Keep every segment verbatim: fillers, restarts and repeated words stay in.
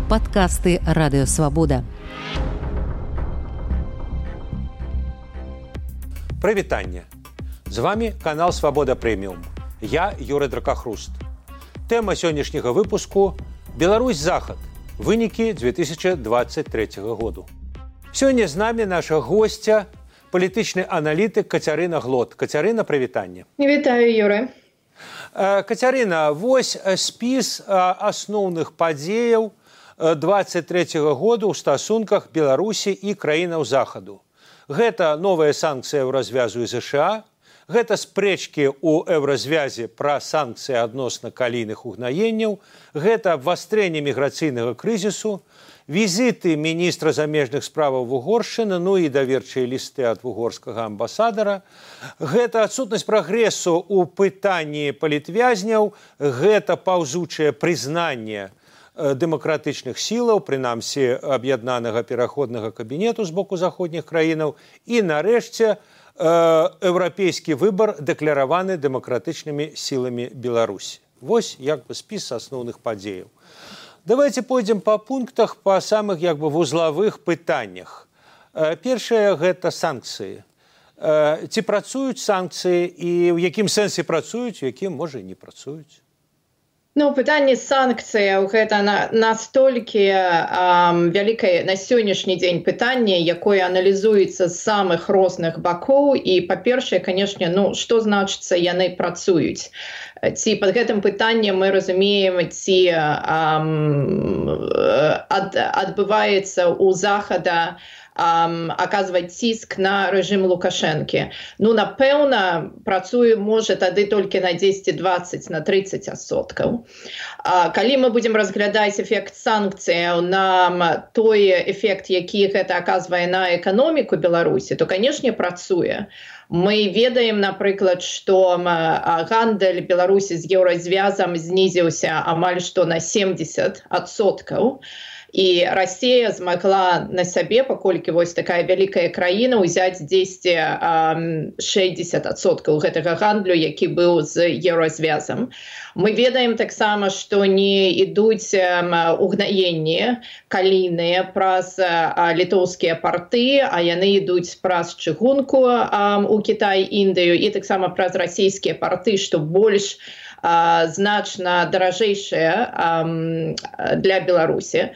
Падкасты Радыё Свабода. Прывітанне! З вами канал Свабода Прэміум. Я Юрый Дракахруст. Тэма сённяшняга выпуску – Беларусь-Захад. Вынікі две тысячи двадцать третьего году. Сёння з намі наша госця, палітычны аналітык Кацярына Глот. Кацярына, прывітанне. Вітаю, Юры. Кацярына, вось спіс асноўных падзеяў двадцать третьего году ў стасунках Беларусі і краінаў Захаду. Гэта новая санкцыя еўразвязу і ЗША, гэта спрэчкі ў еўразвязе пра санкцыі адносна калійных угнаенняў, гэта абвастрэнне міграцыйнага крызісу, візіты міністра замежных справаў Вугоршчыны, ну і даверчыя лісты ад вугорскага амбасадара, гэта адсутнасць прагрэсу ў пытанні палітвязняў, гэта паўзучае прызнанне дэмакратычных сілаў, прынамсі аб'яднанага пераходнага кабінету з боку заходніх краінаў, і нарэшце еўрапейскі выбар дэкляраваны дэмакратычнымі сіламі Беларусі. Вось як бы спіс асноўных падзеяў. Давайте пойдзем па пунктах па самых як бы вузлавых пытаннях. Першае гэта санкцыі. Ці працуюць санкцыі і ў якім сэнсе працуюць, у якім можа і не працуюць? Ну, пытанне санкцыяў гэта на, настолькі эм, вялікае на сённяшні дзень пытанне, якое аналізуецца з самых розных бакоў. І, па-першае, канешне, ну, што значыцца яны працуюць? Ці пад гэтым пытаннем мы разумеем, ці эм, ад, адбываецца ў Захада Um, аказваць ціск на рэжым Лукашэнкі. Ну, напэўна, працуе, можа, тады толькі на дзесяць-дваццаць, на трыццаць адсоткаў. А, калі мы будзем разглядаць эфект санкцыяў на той эфект, які гэта аказвае на эканоміку Беларусі, то, канешне, працуе. Мы ведаем, напрыклад, што гандаль Беларусі з еўразвязам знізіўся амаль што на семьдесят адсоткаў. І Расія змагла на сабе, паколькі вось такая вялікая краіна, узяць дзесяць шэсцьдзесят адсоткаў гэтага гандлю, які быў з еўразвязам. Мы ведаем таксама, што не ідуць угнаенні калійныя праз літоўскія парты, а яны ідуць праз чыгунку у Кітай, Індыю, і таксама праз расійскія парты, што больш значна даражэйшыя для Беларусі.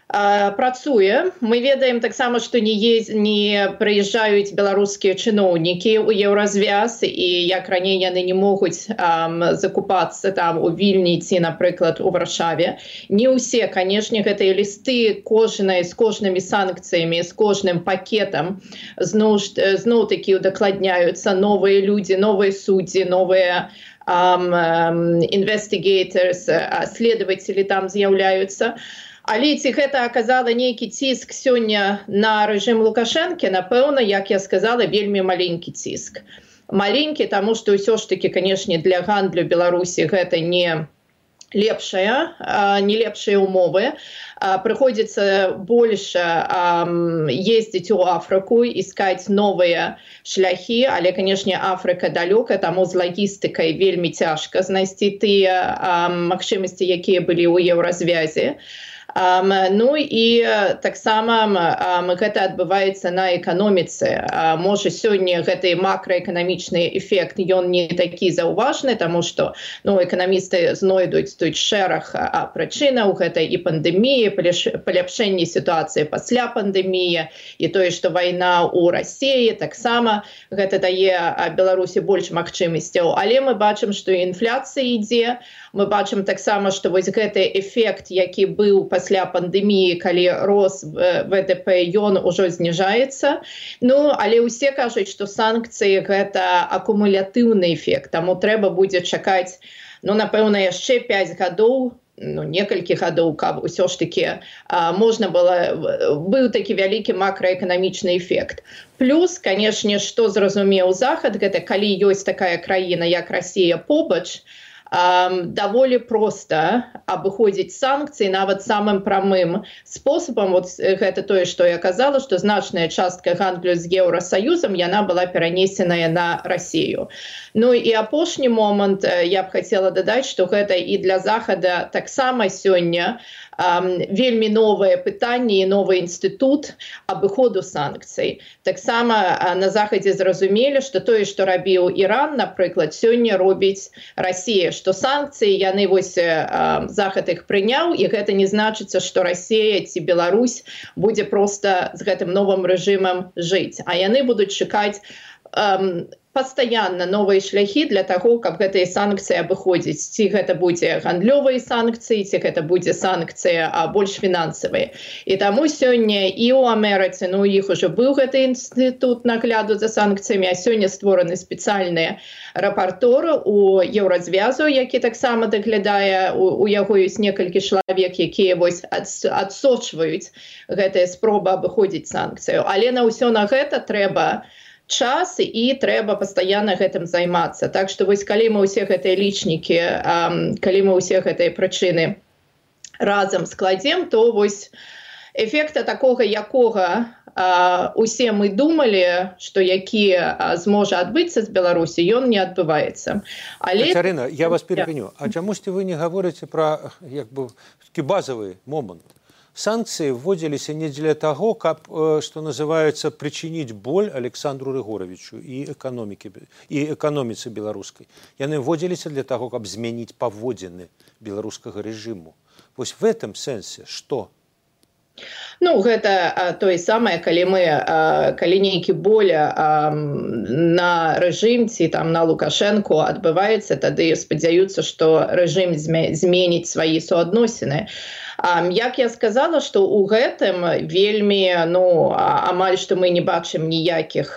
Працуе. Мы ведаем таксама, што не, ез... не прыязджаюць беларускія чыноўнікі ў еўразвяз, і як раней яны не могуць ам, закупацца там у Вільні ці, напрыклад, у Варшаве. Не ўсе, канешне, гэтыя лісты кожнай з кожнымі санкцыямі, з кожным пакетам зноў, зноў-такі удакладняюцца новыя людзі, новыя суддзі, новыя um, um, investigators, следователи там з'яўляюцца. Але ці гэта аказала нейкі ціск сёння на рэжым Лукашэнкі, напэўна, як я сказала, вельмі маленькі ціск. Маленькі, таму што ўсё ж такі, канешне, для гандлю Беларусі гэта не лепшая, не лепшыя умовы. Прыходзіцца больш ездзіць у Афрыку, іскаць новыя шляхі, але, канешне, Афрыка далёка, таму з лагістыкай вельмі цяжка знайсці тыя магчымасці, якія былі ў еўразвязе. Um, ну і таксама um, гэта адбываецца на эканоміцы. Uh, можа, сёння гэты макраэканамічны эфект, ён не такі заўважны, таму што ну, эканамісты знойдуць тут шэраг uh, прычынаў, гэта і пандэмія, паляпшэнне сітуацыі пасля пандэміі, і тое, што вайна ў Расіі, таксама гэта дае uh, Беларусі больш магчымасцяў. Але мы бачым, што інфляцыя ідзе, мы бачым таксама, што вось гэты эфект, які быў пасля пасля пандэміі, калі рос ВДП, ён ужо зніжаецца. Ну, але ўсе кажуць, што санкцыі гэта акумулятыўны эфект, таму трэба будзе чакаць, ну, напэўна, яшчэ пяць гадоў, ну, некалькі гадоў, каб усё ж такі а, можна было, быў такі вялікі макраэканамічны эфект. Плюс, канешне, што зразумеў Захад, гэта калі ёсць такая краіна, як Расія побач, даволі проста абыходзіць санкцыі нават самым прамым спосабам. Вот гэта тое, што я казала, што значная частка гандлю з Еўрасаюзам яна была перанесеная на Расію. Ну і апошні момант я б хацела дадаць, што гэта і для Захада таксама сёння вельмі новае пытанне і новы інстытут абыходу санкцый. Таксама на Захадзе зразумелі, што тое, што рабіў Іран, напрыклад, сёння робіць Расія, што санкцыі яны вось Захад іх прыняў, і гэта не значыцца, што Расія ці Беларусь будзе проста з гэтым новым рэжымам жыць, а яны будуць чакаць пастаянна новыя шляхі для таго, каб гэтыя санкцыі абыходзіць. Ці гэта будзе гандлёвыя санкцыі, ці гэта будзе санкцыя а больш фінансавыя. І таму сёння і ў Амерыцы, ну, у іх ужо быў гэты інстытут нагляду за санкцыямі, а сёння створаны спецыяльныя рапарторы у Еўразвязу, які таксама даглядае, у, у яго ёсць некалькі чалавек, якія вось адсочваюць гэтыя спробы абыходзіць санкцыю. Але на ўсё на гэта трэба час і трэба пастаянна гэтым займацца. Так што вось калі мы ўсе гэтыя лічнікі, калі мы ўсе гэтыя прычыны разам складзем, то вось эфекта такога, якога усе мы думалі, што які зможа адбыцца з Беларусі, ён не адбываецца. Але... Кацярына, я вас перапыню. А чамусьці вы не гаворыце пра як бы такі базавы момант? Санкции вводились не для того, как, что называется, причинить боль Александру Рыгоровичу и экономике, и экономице белорусской. Яны вводились для того, как изменить поводины белорусского режиму. Вот в этом сенсе что? Ну, гэта тое самае, калі мы, калі нейкі боль на рэжым ці там на Лукашэнку адбываецца, тады спадзяюцца, што рэжым зменіць свае суадносіны. Як я сказала, што ў гэтым вельмі, ну, амаль што мы не бачым ніякіх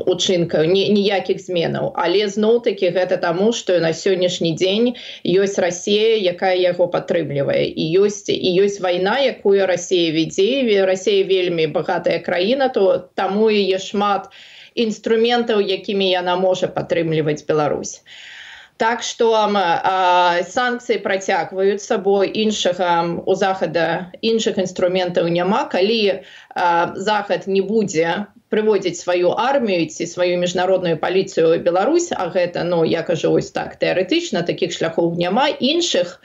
учынкаў, ніякіх зменаў. Але зноў-такі гэта таму, што на сённяшні дзень ёсць Расія, якая яго падтрымлівае. І ёсць, і ёсць вайна, якую Расія вядзе. Расія вельмі багатая краіна, то таму і є шмат інструментаў, якімі яна можа падтрымліваць Беларусь. Так што санкцыі працягваюцца, бо іншага у Захада іншых інструментаў няма. Калі Захад не будзе прыводзіць сваю армію ці сваю міжнародную паліцыю ў Беларусь, а гэта, ну, я кажу вось так, тэарэтычна, такіх шляхоў няма, іншых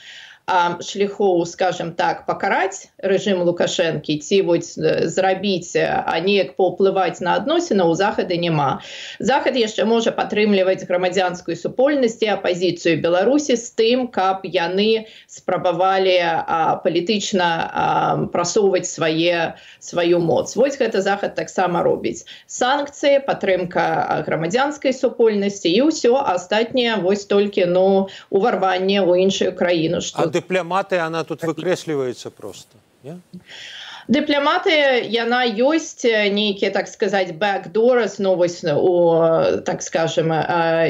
шляхоў, скажем так, пакараць рэжым Лукашэнкі ці вось зрабіць, а неяк паўплываць на адносіны ў Захада няма. Захад яшчэ можа падтрымліваць грамадзянскую супольнасць і апазіцыю Беларусі з тым, каб яны спрабавалі палітычна прасоўваць свае, сваю моц. Вось гэта Захад таксама робіць. Санкцыі, падтрымка грамадзянскай супольнасці і ўсё астатняе вось толькі, ну, уварванне ў іншую краіну. Што... Дипломаты, она тут выкрэсліваецца просто, не? Дыпламатыя, яна ёсць нейкія, так сказаць, backdoors, ну, вось у, так скажем,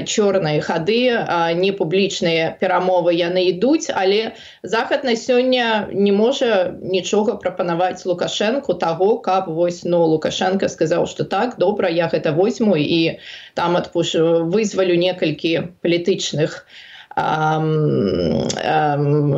чорныя хады, не публічныя перамовы яны ідуць, але Захад на сёння не можа нічога прапанаваць Лукашэнку таго, каб вось, ну, Лукашенко сказаў, што так, добра, я гэта возьму і там адпушу, вызвалю некалькі палітычных Um, um,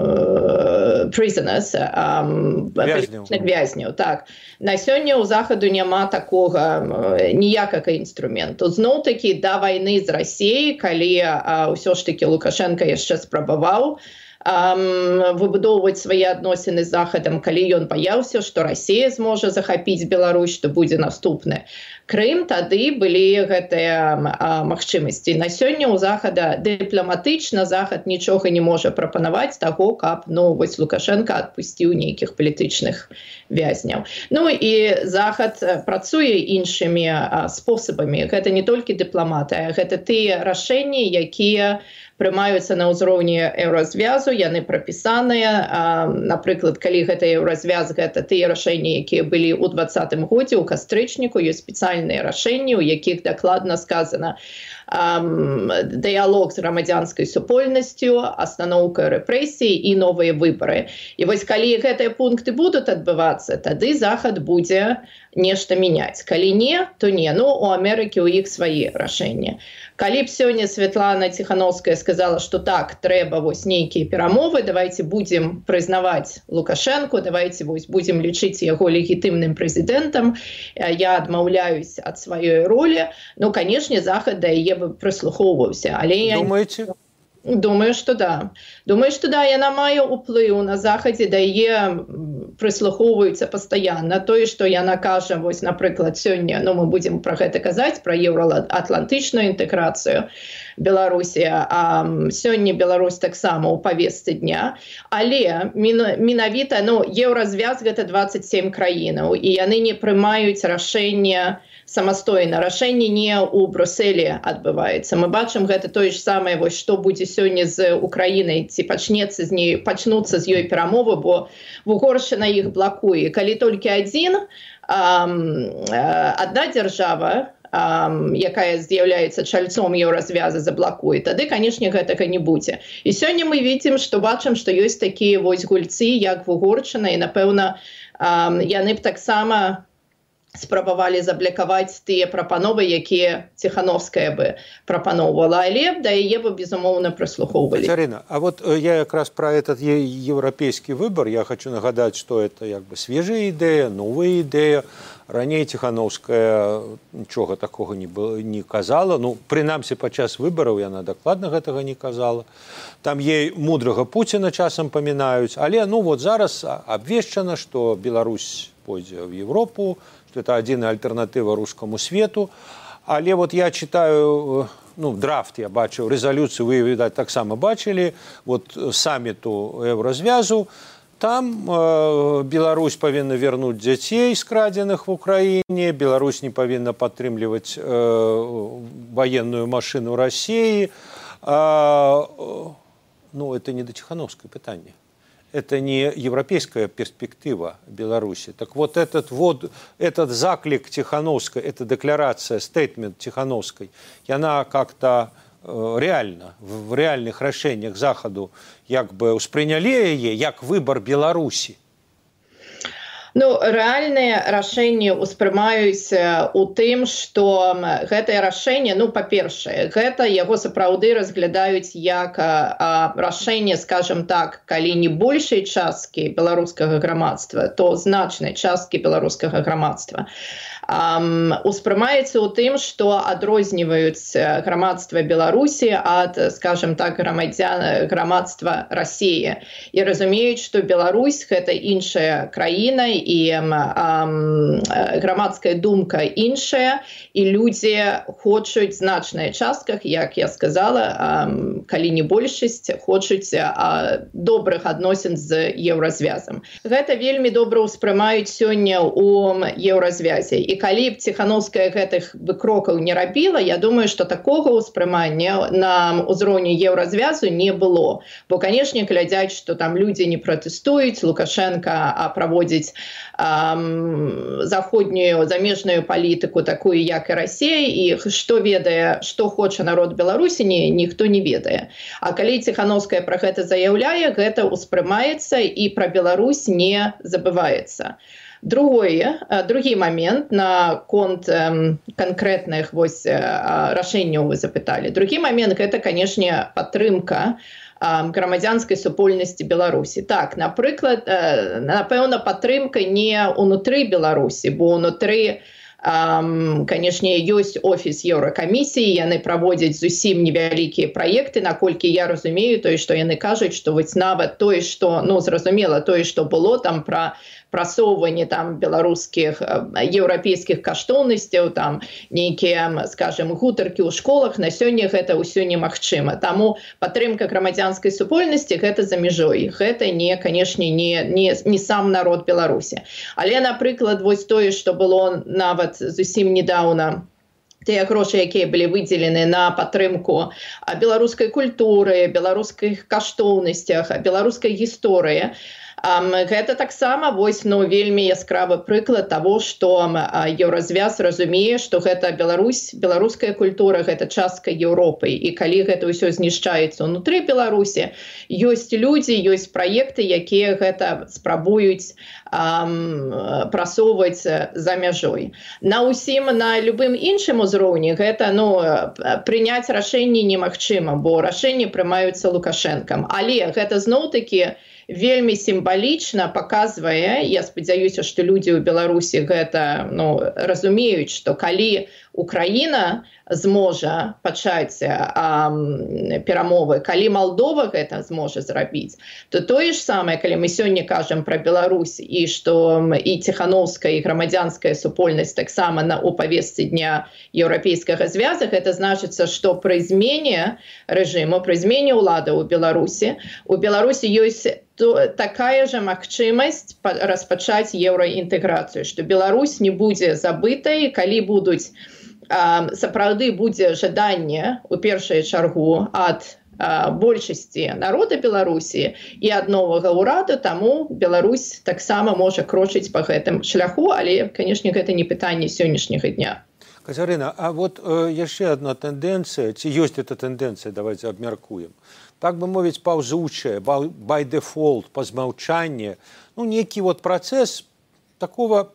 prisoners, um, вязняў. вязняў. Так. На сёння ў Захаду няма такога ніякага інструменту. Зноў-такі да вайны з Расіяй, калі а, ўсё ж такі Лукашенко яшчэ спрабаваў Um, выбудоўваць свае адносіны з Захадам, калі ён баяўся, што Расія зможа захапіць Беларусь, што будзе наступны Крым, тады былі гэтыя а, магчымасці. На сёння ў Захада дыпламатычна Захад нічога не можа прапанаваць таго, каб, ну, вось Лукашенко адпусціў нейкіх палітычных вязняў. Ну і Захад працуе іншымі а, спосабамі. Гэта не толькі дыпламатыя, гэта тыя рашэнні, якія прымаюцца на ўзроўні Еўразвязу, яны прапісаныя. Напрыклад, калі гэта Еўразвяз, гэта тыя рашэнні, якія былі ў двадцатым годзе, у кастрычніку, ёсць спецыяльныя рашэнні, у якіх дакладна сказана дыялог з грамадзянскай супольнасцю, астаноўка рэпрэсій і новыя выбары. І вось калі гэтыя пункты будуць адбывацца, тады Захад будзе нешта мяняць. Калі не, то не. Ну, у Амерыкі ў іх свае рашэнні. Калі б сёння Святлана Ціхановская сказала, сказала, что так, трэба вось нейкія перамовы, давайте будем прызнаваць Лукашенко, давайте вось будем лічыць яго легітымным прэзідэнтам, я адмаўляюсь ад сваёй ролі. Ну, канешне, Захад да яе бы прыслухоўваўся. Але Думаеце? Я... Думаю, что да. Думаю, что да, яна мае ўплыў на Захадзе, да яе прыслухоўваюцца пастаянна. Тое, што яна кажа, вось, напрыклад, сёння, ну, мы будзем пра гэта казаць, пра еўраатлантычную інтэграцыю Беларусі, а сёння Беларусь таксама ў павестцы дня. Але менавіта, ну, еўразвяз гэта дваццаць сем краінаў, і яны не прымаюць рашэнне самастойна. Рашэнне не ў Брюсселі адбываецца. Мы бачым гэта тое ж самае, вось, што будзе сёння з Украінай, ці пачнецца з ней, пачнуцца з ёй перамовы, бо Угоршчына іх блакуе. Калі толькі адзін, адна дзяржава, якая з'яўляецца чальцом еўразвяза, заблакуе, тады, канешне, гэтага не будзе. І сёння мы видим, што бачым, што ёсць такія вось гульцы, як Угоршчына, і, напэўна, яны б таксама спрабавалі заблякаваць тыя прапановы, якія Ціхановская бы прапаноўвала, але да яе бы, безумоўна, прыслухоўвалі. Катерина, а вот я как раз про этот европейский выбор, я хочу нагадать, что это как бы свежая идея, новая идея. Ранее Ціхановская нічога такого не, не казала, ну, прынамсі падчас выбараў яна дакладна гэтага не казала. Там ей мудрага Пуціна часам памінаюць, але ну вот зараз абвешчана, што Беларусь пойдзе в Европу, что это адзіная альтэрнатыва рускаму свету. Але вот я читаю, ну, драфт я бачыў, резолюцию вы, видать, таксама бачылі, вот саммиту Еўразвязу. Там э, Беларусь павінна вернуть дзяцей, скрадзеных в Украине, Беларусь не павінна падтрымліваць э, военную машину России. Э, ну, это не до Тихановской пытания. Это не европейская перспектива Беларуси. Так вот этот, вот, этот заклик Тихановской, эта декларация, стейтмент Тихановской, и она как-то э, реально, в реальных рашэннях Захаду як бы успрынялі яе як выбор Беларусі. Ну, рэальныя рашэнні ўспрымаюць у тым, што гэтае рашэнне, ну, па-першае, гэта яго сапраўды разглядаюць як а, рашэнне, скажем так, калі не большай часткі беларускага грамадства, то значнай часткі беларускага грамадства. Um, успрымаецца ў тым, што адрозніваюць грамадства Беларусі ад, скажем так, грамадзян грамадства Расіі. І разумеюць, што Беларусь гэта іншая краіна, і um, грамадская думка іншая, і людзі хочуць значная частках, як я сказала, um, калі не большасць, хочуць uh, добрых адносін з еўразвязам. Гэта вельмі добра ўспрымаюць сёння ў еўразвязе. І калі б Ціхановская гэтых бы крокаў не рабіла, я думаю, што такога ўспрымання на ўзроўні еўразвязу не было. Бо, канешне, глядзяць, што там людзі не пратэстуюць, Лукашенко а праводзіць ам, заходнюю замежную палітыку, такую, як і Расія, і што ведае, што хоча народ Беларусі, ні, ніхто не ведае. А калі Ціхановская пра гэта заяўляе, гэта ўспрымаецца і пра Беларусь не забываецца. Другое, другі момент на конт э, конкретных вось, э, рашэнняў вы запыталі. Другі момент гэта, канешне, падтрымка э, грамадзянскай супольнасці Беларусі. Так, напрыклад, э, напэўна, падтрымка не ўнутры Беларусі, бо ўнутры, Um, канешне, ёсць офіс Еўракамісіі, яны праводзяць зусім невялікія праекты, наколькі я разумею, тое, што яны кажуць, што вось нават тое, што, ну, зразумела, тое, што было там пра прасоўванне там беларускіх, еўрапейскіх каштоўнасцяў, там нейкія, скажем, гутаркі ў школах, на сёння гэта ўсё немагчыма. Таму падтрымка грамадзянскай супольнасці гэта за мяжой. Гэта не, канешне, не, не, не сам народ Беларусі. Але, напрыклад, вось тое, што было нават зусім недаўна, тыя грошы, якія былі выдзелены на падтрымку беларускай культуры, беларускіх каштоўнасцях, беларускай гісторыі, Гэта таксама вось ну вельмі яскравы прыклад того, што еўразвяз разумее, што гэта Беларусь, беларуская культура, гэта частка Еўропы, і калі гэта ўсё знішчаецца ўнутры Беларусі, ёсць людзі, ёсць праекты, якія гэта спрабуюць прасоўваць за мяжой. На ўсім, на любым іншым узроўні гэта ну прыняць рашэнні немагчыма, бо рашэнні прымаюцца Лукашэнкам. Але гэта зноў-такі вельмі сімвалічна паказвае, я спадзяюся, што людзі ў Беларусі гэта ну, разумеюць, што калі Украіна зможа пачаць а, перамовы, калі Малдова гэта зможа зрабіць, то тое ж самае, калі мы сёння кажам пра Беларусь, і што і Ціханаўская, і грамадзянская супольнасць таксама на у павестцы дня еўрапейскага звяза, гэта значыцца, што пры змене рэжыму, пры змене ўлады ў Беларусі, у Беларусі ёсць такая же магчымасць распачаць еўраінтэграцыю, што Беларусь не будзе забытай, калі будуць сапраўды будзе жаданне у першую чаргу ад большасці народа Беларусі і ад новага ўраду, таму Беларусь таксама можа крочыць па гэтым шляху, але, канешне, гэта не пытанне сённяшняга дня. Кацярына, а вот э, яшчэ одна тэндэнцыя, ці ёсць эта тэндэнцыя, давайте абмяркуем. Так бы мовіць, паўзучая, by default, па змаўчанні, ну, нейкі вот працэс такого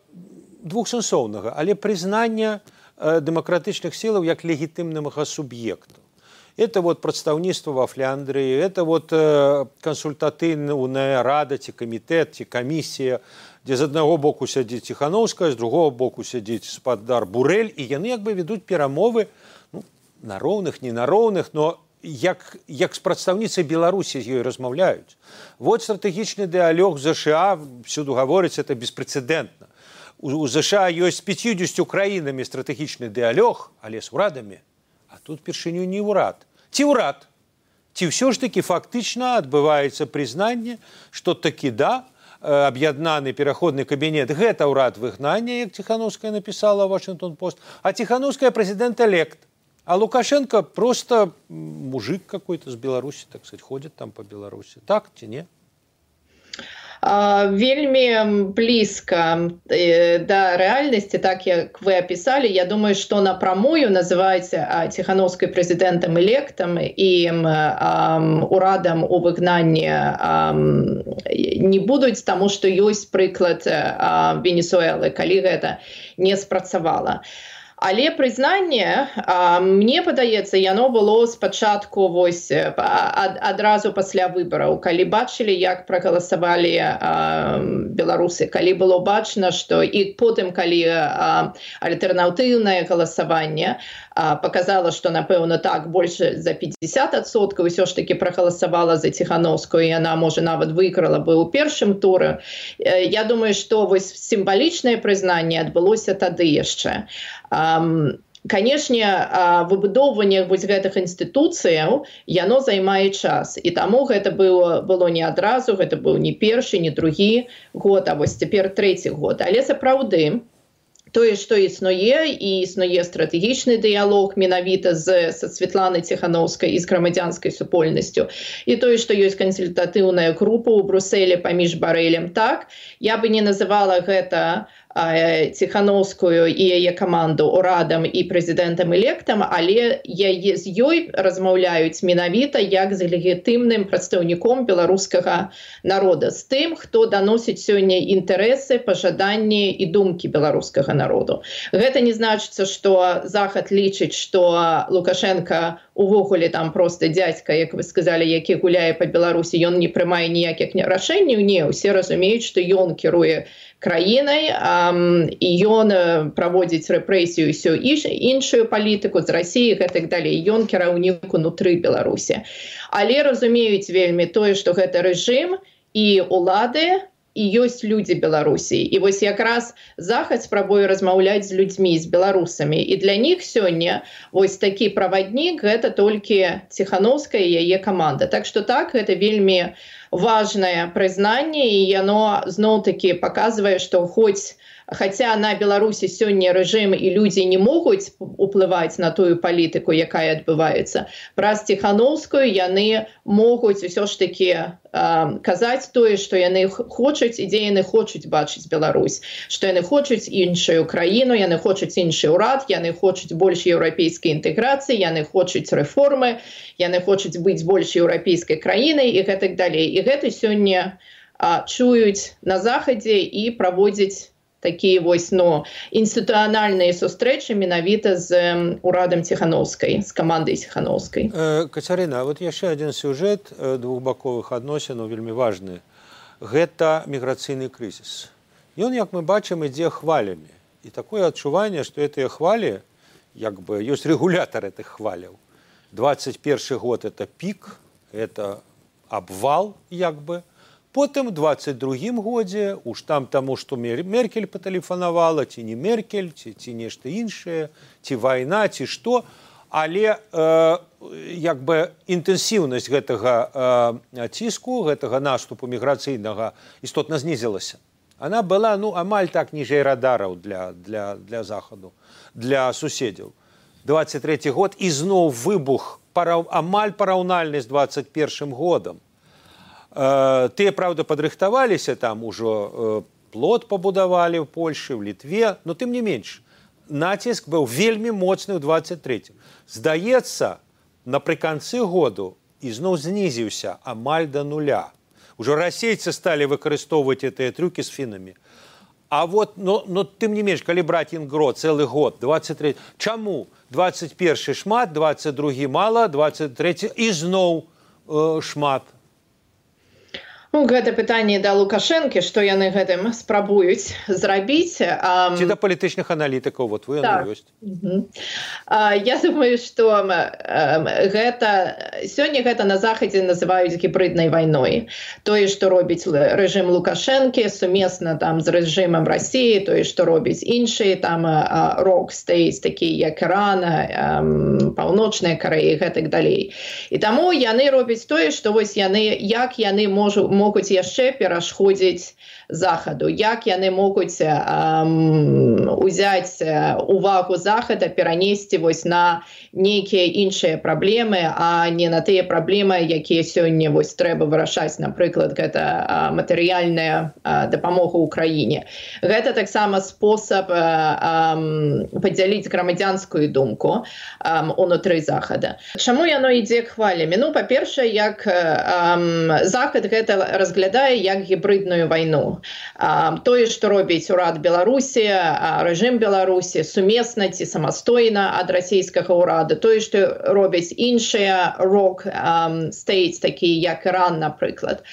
двухсэнсоўнага, але прызнання э, дэмакратычных сілаў як легітымнага суб'екта. Это вот прадстаўніцтва во Фляндрыі, это вот э, кансультатыўная рада, ці камітэт, ці камісія, дзе з аднаго боку сядзіць Ціханаўская, з другого боку сядзіць спадар Бурэль, і яны як бы ведуць перамовы ну, на роўных, не на роўных, но як, як з прадстаўніцай Беларусі з ёй размаўляюць. Вот стратэгічны дыалог ЗША, всюду гаворыць, это беспрэцэдэнтна. У, у ЗША ёсць з пяцьюдзесятю краінамі стратэгічны дыалог, але з урадамі. А тут першыню не ўрад. Ці ўрад? Ці ўсё ж такі фактычна адбываецца прызнанне, што такі да, аб'яднаны пераходны кабінет, гэта ўрад выгнання, як Ціханаўская напісала ў Вашингтон-Пост, а Ціханаўская прэзідэнт-элект. А Лукашенко просто мужик какой-то з Беларусі, так сказать, ходит там по Беларусі. Так ці не? Вельмі блізка да рэальнасці, так як вы апісалі. Я думаю, што напрамую называць Ціханаўскай прэзідэнтам-электам і урадам у выгнанні не будуць, таму што ёсць прыклад Венесуэлы, калі гэта не спрацавала. Але прызнанне, мне падаецца, яно было спачатку вось ад, адразу пасля выбараў, калі бачылі, як прагаласавалі беларусы, калі было бачна, што і потым, калі альтэрнатыўнае галасаванне показала, што, напэўна, так, больш за пятьдесят адсоткаў ўсё ж такі прагаласавала за Ціханаўскую, і яна, можа, нават выйграла бы ў першым туры. Я думаю, што вось сімвалічнае прызнанне адбылося тады яшчэ. Канешне, выбудоўванне вось гэтых інстытуцыяў, яно займае час. І таму гэта было, было не адразу, гэта быў не першы, не другі год, а вось цяпер трэці год. Але сапраўды, тое, што існуе, і існуе стратэгічны дыялог менавіта з, са Святланай Ціханаўскай і з грамадзянскай супольнасцю, і тое, што ёсць кансультатыўная група ў Брусэлі паміж Барэлем, так, я бы не называла гэта Ціханаўскую і яе каманду урадам і прэзідэнтам-электам, але яе з ёй размаўляюць менавіта як з легітымным прадстаўніком беларускага народа, з тым, хто даносіць сёння інтарэсы, пажаданні і думкі беларускага народу. Гэта не значыцца, што Захад лічыць, што Лукашенко увогуле там проста дзядзька, як вы сказалі, які гуляе па Беларусі, ён не прымае ніякіх рашэнняў. Не, усе разумеюць, што ён кіруе краінай, і ён праводзіць рэпрэсію ўсё іншую палітыку з Расіі і гэтак далей. Ён кіраўнік унутры Беларусі. Але разумеюць вельмі тое, што гэта рэжым і ўлады, і ёсць людзі Беларусі. І вось якраз Захад спрабуе размаўляць з людзьмі, з беларусамі. І для них сёння вось такі праваднік гэта толькі Ціханаўская і яе каманда. Так што так, гэта вельмі важное прызнанне, і яно зноў-такі паказвае, што хоць Хаця на Беларусі сёння рэжым і людзі не могуць уплываць на тую палітыку, якая адбываецца, праз Ціхановскую яны могуць усё ж такі э, казаць тое, што яны хочуць і дзе яны хочуць бачыць Беларусь, што яны хочуць іншую краіну, яны хочуць іншы ўрад, яны хочуць больш еўрапейскай інтэграцыі, яны хочуць рэформы, яны хочуць быць больш еўрапейскай краінай і гэтак далей. І гэта сёння э, чуюць на захадзе і праводзяць такие вось, ну, інстытуцыянальныя сустрэчы менавіта з урадам Ціхановскай, з камандай Ціхановскай. Э, Кацярына, вот яшчэ адзін сюжэт двухбаковых адносінаў вельмі важны. Гэта міграцыйны крызіс. Ён, як мы бачым, ідзе хвалямі. І такое адчуванне, што гэтыя хвалі, як бы, ёсць рэгулятар гэтых хваляў. двадцать першы год это пік, это абвал, як бы. Потым у двадцать другім годзе уж там таму, што Меркель патэлефанавала, ці не Меркель, ці, ці нешта іншае, ці вайна, ці што, але э, як бы інтэнсіўнасць гэтага э, ціску, гэтага наступу міграцыйнага істотна знізілася. Она была, ну, амаль так ніжэй радараў для, для, для захаду, для суседзяў. двадцать трэці год і зноў выбух парав... амаль параўнальны з двадцать першым годам. Тыя, правда, падрыхтаваліся, там ужо плот пабудавалі ў Польшы, ў Літве, но тым не менш, націск быў вельмі моцны ў двадцать трэцім. Здаецца, напрыканцы году ізноў знізіўся амаль да нуля. Ужо расейцы сталі выкарыстоўваць гэтыя трюкі з фінамі. А вот, но, но тым не менш, калі браць інгро цэлы год, двадцать трэці, чаму двадцать першы шмат, двадцать другі мала, двадцать трэці ізноў э, шмат? Ну, гэта пытанне да Лукашэнкі, што яны гэтым спрабуюць зрабіць. Ці да палітычных аналітыкаў, вот вы яны ёсць. Угу. Я думаю, што гэта сёння гэта на захадзе называюць гібриднай вайной. Тое, што робіць рэжым Лукашэнкі сумесна там з рэжымам Расіі, тое, што робіць іншыя там рок стейс, такія як Іран, Паўночная Карэя і гэтак далей. І таму яны робяць тое, што вось яны, як яны можу могуць яшчэ перашкодзіць захаду, як яны могуць эм, узяць увагу захада, перанесці вось на нейкія іншыя праблемы, а не на тыя праблемы, якія сёння вось трэба вырашаць, напрыклад, гэта матэрыяльная дапамога ўкраіне. Гэта таксама спосаб эм, падзяліць грамадзянскую думку эм, унутры захада. Чаму яно ідзе хвалямі? Ну, па-першае, як эм, захад гэта разглядае як гібридную вайну. А, тое, што робіць урад Беларусі, а, рэжым Беларусі, сумесна ці самастойна ад расійскага ўрада, тое, што робяць іншыя рок-стейтс, такія як Іран, напрыклад.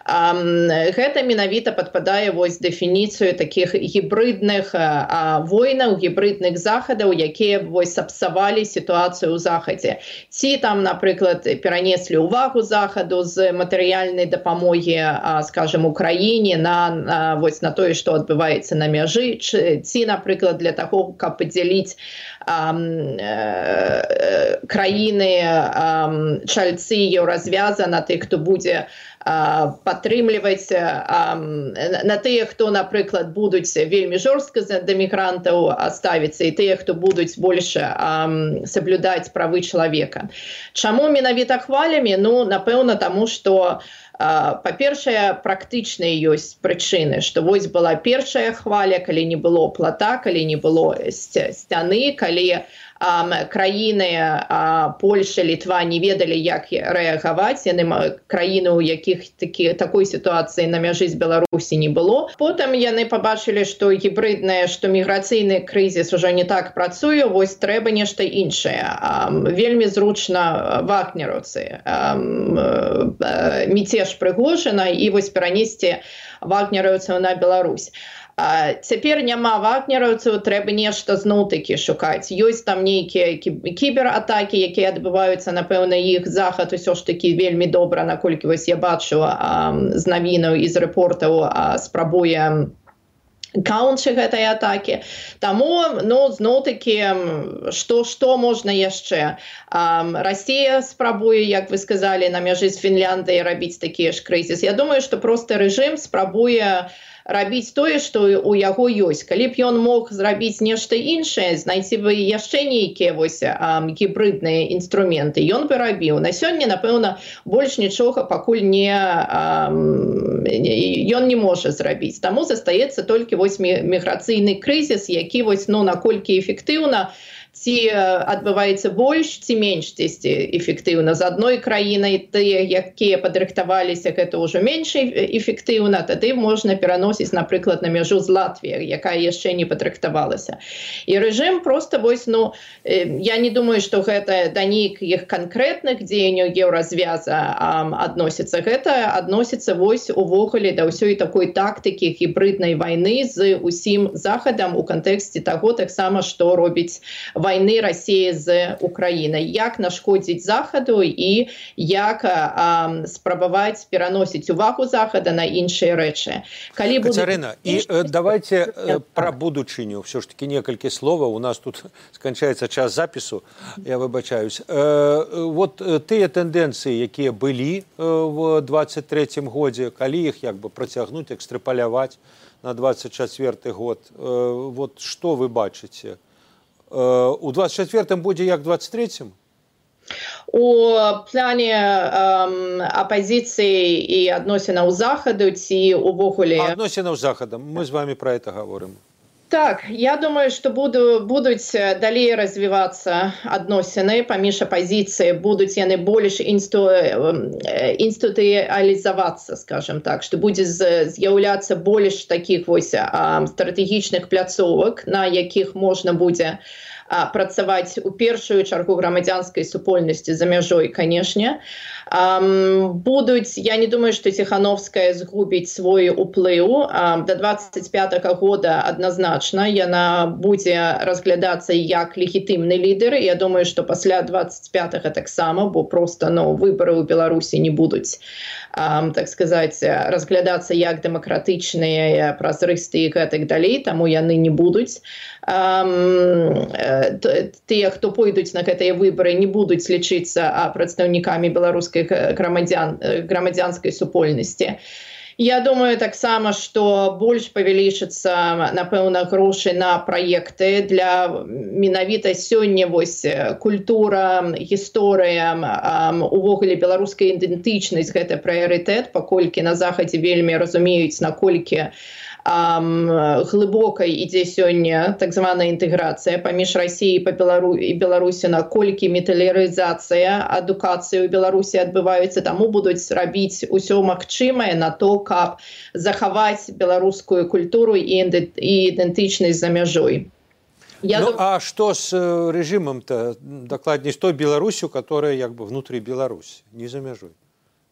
А, гэта менавіта падпадае вось дэфініцыю такіх гібридных а, войнаў, гібридных захадаў, якія вось сапсавалі сітуацыю ў захадзе. Ці там, напрыклад, перанеслі ўвагу захаду з матэрыяльнай дапамогі, а, скажем, Украіне на, на, вось, на тое, што адбываецца на мяжы, ці, напрыклад, для таго, каб падзяліць а, э, краіны а, чальцы еўразвяза на тых, хто будзе падтрымліваць на тыя, хто, напрыклад, будуць вельмі жорстка да мігрантаў ставіцца, і тыя, хто будуць больш саблюдаць правы чалавека. Чаму менавіта хвалямі? Ну, напэўна, таму, што па-першае, практычныя ёсць прычыны, што вось была першая хваля, калі не было плата, калі не было сцяны, калі краіны Польша, Літва не ведалі, як рэагаваць, яны краіны, у якіх такі, такой сітуацыі на мяжы з Беларусі не было. Потым яны пабачылі, што гібриднае, што міграцыйны крызіс ужо не так працуе, вось трэба нешта іншае. Вельмі зручна вагнераўцы, міцеж Прыгожина і вось перанесці вагнераўцаў на Беларусь. А цяпер няма вагнераўцаў, трэба нешта зноў-такі шукаць. Ёсць там нейкія кібератакі, якія адбываюцца, напэўна, іх захад усё ж такі вельмі добра, наколькі вось я бачу а, з навінаў і з рэпортаў а, спрабуе каунчы гэтай атакі. Таму, ну, зноў-такі, што, што можна яшчэ? Расія спрабуе, як вы сказалі, на мяжы з Фінляндыяй рабіць такі ж крызіс. Я думаю, што проста рэжым спрабуе рабіць тое, што у яго ёсць. Калі б ён мог зрабіць нешта іншае, знайсці бы яшчэ нейкія вось гібридныя інструменты, ён бы рабіў. На сёння, напэўна, больш нічога пакуль не ён не можа зрабіць. Таму застаецца толькі вось міграцыйны крызіс, які вось, ну, наколькі эфектыўна, ці адбываецца больш, ці менш дзесьці эфектыўна. З адной краінай тыя, якія падрыхтаваліся, гэта ўжо менш эфектыўна, тады можна пераносіць, напрыклад, на мяжу з Латвіяй, якая яшчэ не падрыхтавалася. І рэжым проста вось, ну, я не думаю, што гэта да нейкіх канкрэтных дзеянняў еўразвяза адносіцца. Гэта адносіцца вось увогуле да ўсёй такой тактыкі гібриднай вайны з усім Захадам у кантэксце таго таксама, што робіць войны России з Украиной. Як нашкодзіць Захаду і як а, спрабаваць пераносіць увагу Захада на іншыя рэчы. Калі Кацярына, і э, давайте э, пра будучыню все ж таки некалькі словаў. У нас тут сканчаецца час запісу, я выбачаюсь. Э, вот тыя тэндэнцыі, якія былі э, в двадцать третьем годзе, калі іх як бы працягнуць, экстрапаляваць на двадцать четвёрты год, э, вот што вы бачыце? У двадцать четвёртым будзе як двадцать третьем? У плане эм, апозіцыі і адносінаў Захаду ці увогуле... Адносінаў з Захадам. Мы з вами про это говорим. Так, я думаю, што буду, будуць далей развівацца адносіны паміж апозіцыяй, будуць яны больш інсту, інстытуалізавацца, скажем так, што будзе з'яўляцца больш такіх вось стратэгічных пляцовак, на якіх можна будзе працаваць у першую чаргу грамадзянскай супольнасці за мяжой, канешне. Будуць, я не думаю, што Ціхановская згубіць свой уплыў. До двадцать пятого года адназначна яна будзе разглядацца як легітымны лідар. Я думаю, што пасля двадцать пятого таксама, бо просто, ну, выбары ў Беларусі не будуць, так сказаць, разглядацца як дэмакратычныя, празрыстыя і гэтак далей, таму яны не будуць. Тыя, хто пойдуць на гэтыя выбары, не будуць лічыцца прадстаўнікамі беларускай грамадзян, грамадзянскай супольнасці. Я думаю таксама, што больш павялічыцца, напэўна, грошы на праекты для менавіта сёння вось культура, гісторыя, увогуле беларуская ідэнтычнасць, гэта прыярытэт, паколькі на Захадзе вельмі разумеюць, наколькі глыбокай ідзе сёння так званая інтэграцыя паміж Расіяй і Беларусі, наколькі металярызацыя адукацыі ў Беларусі адбываецца, таму будуць рабіць усё магчымае на то, каб захаваць беларускую культуру і ідэнтычнасць за мяжой. Я ну, дум... а што з рэжымам-то, дакладней, з той Беларусю, которая як бы внутры Беларусі, не за мяжой?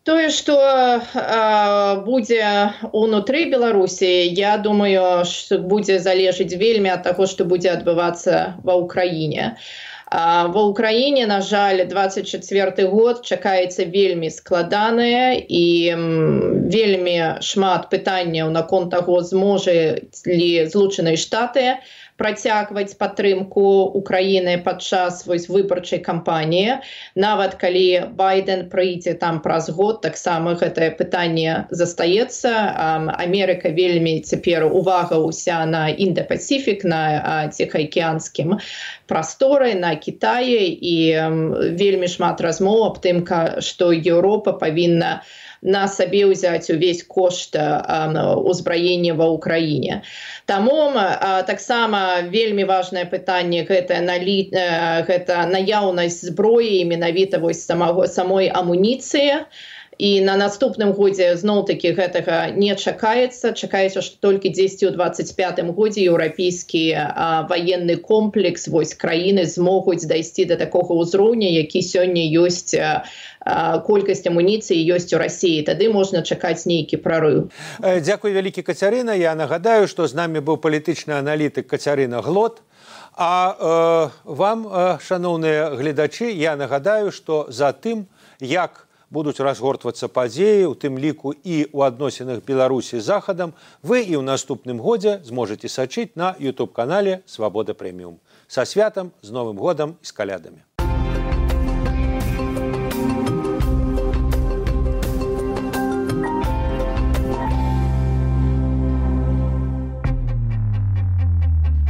Тое, што э, будзе ўнутры Беларусі, я думаю, што будзе залежыць вельмі ад таго, што будзе адбывацца ва ўкраіне. А, ва ўкраіне, на жаль, двадцать четвёрты год чакаецца вельмі складанае і м, вельмі шмат пытанняў наконт таго, зможа ли Злучаныя Штаты працягваць падтрымку Украіны падчас вось выбарчай кампаніі. Нават калі Байден прыйдзе там праз год, таксама гэтае пытанне застаецца. Амерыка вельмі цяпер увага ўся на Інда-Пасіфік, на Ціхаакіянскім прасторы, на Кітаі, і вельмі шмат размоў аб тым, што Еўропа павінна на сабе ўзяць увесь кошт узбраення ва ўкраіне. Таму таксама вельмі важнае пытанне гэта, налі... гэта наяўнасць зброі, менавіта вось самого, самой амуніцыі. І на наступным годзе зноў-такі гэтага не чакаецца. Чакаецца, што толькі дзесьці ў двадцать пятым годзе еўрапейскі ваенны комплекс вось краіны змогуць дайсці да такога ўзроўня, які сёння ёсць колькасць амуніцыі ёсць у Расіі. Тады можна чакаць нейкі прарыў. Дзякуй вялікі, Кацярына. Я нагадаю, што з намі быў палітычны аналітык Кацярына Глот. А э, вам, э, шаноўныя гледачы, я нагадаю, што за тым, як будуць разгортвацца падзеі, у тым ліку і ў адносінах Беларусі з Захадам, вы і ў наступным годзе зможаце сачыць на ютуб-канале «Свабода Прэміум». Са святам, з Новым годам і з калядамі!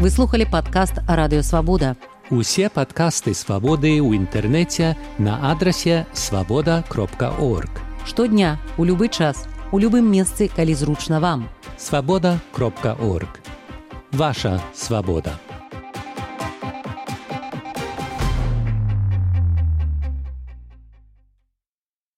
Вы слухали падкаст «Радыё Свабода». Усе падкасты «Свабоды» ў інтэрнэце на адрасе свабода кропка орг. Штодня, у любы час, у любым месцы, калі зручна вам. свабода кропка орг. Ваша свабода.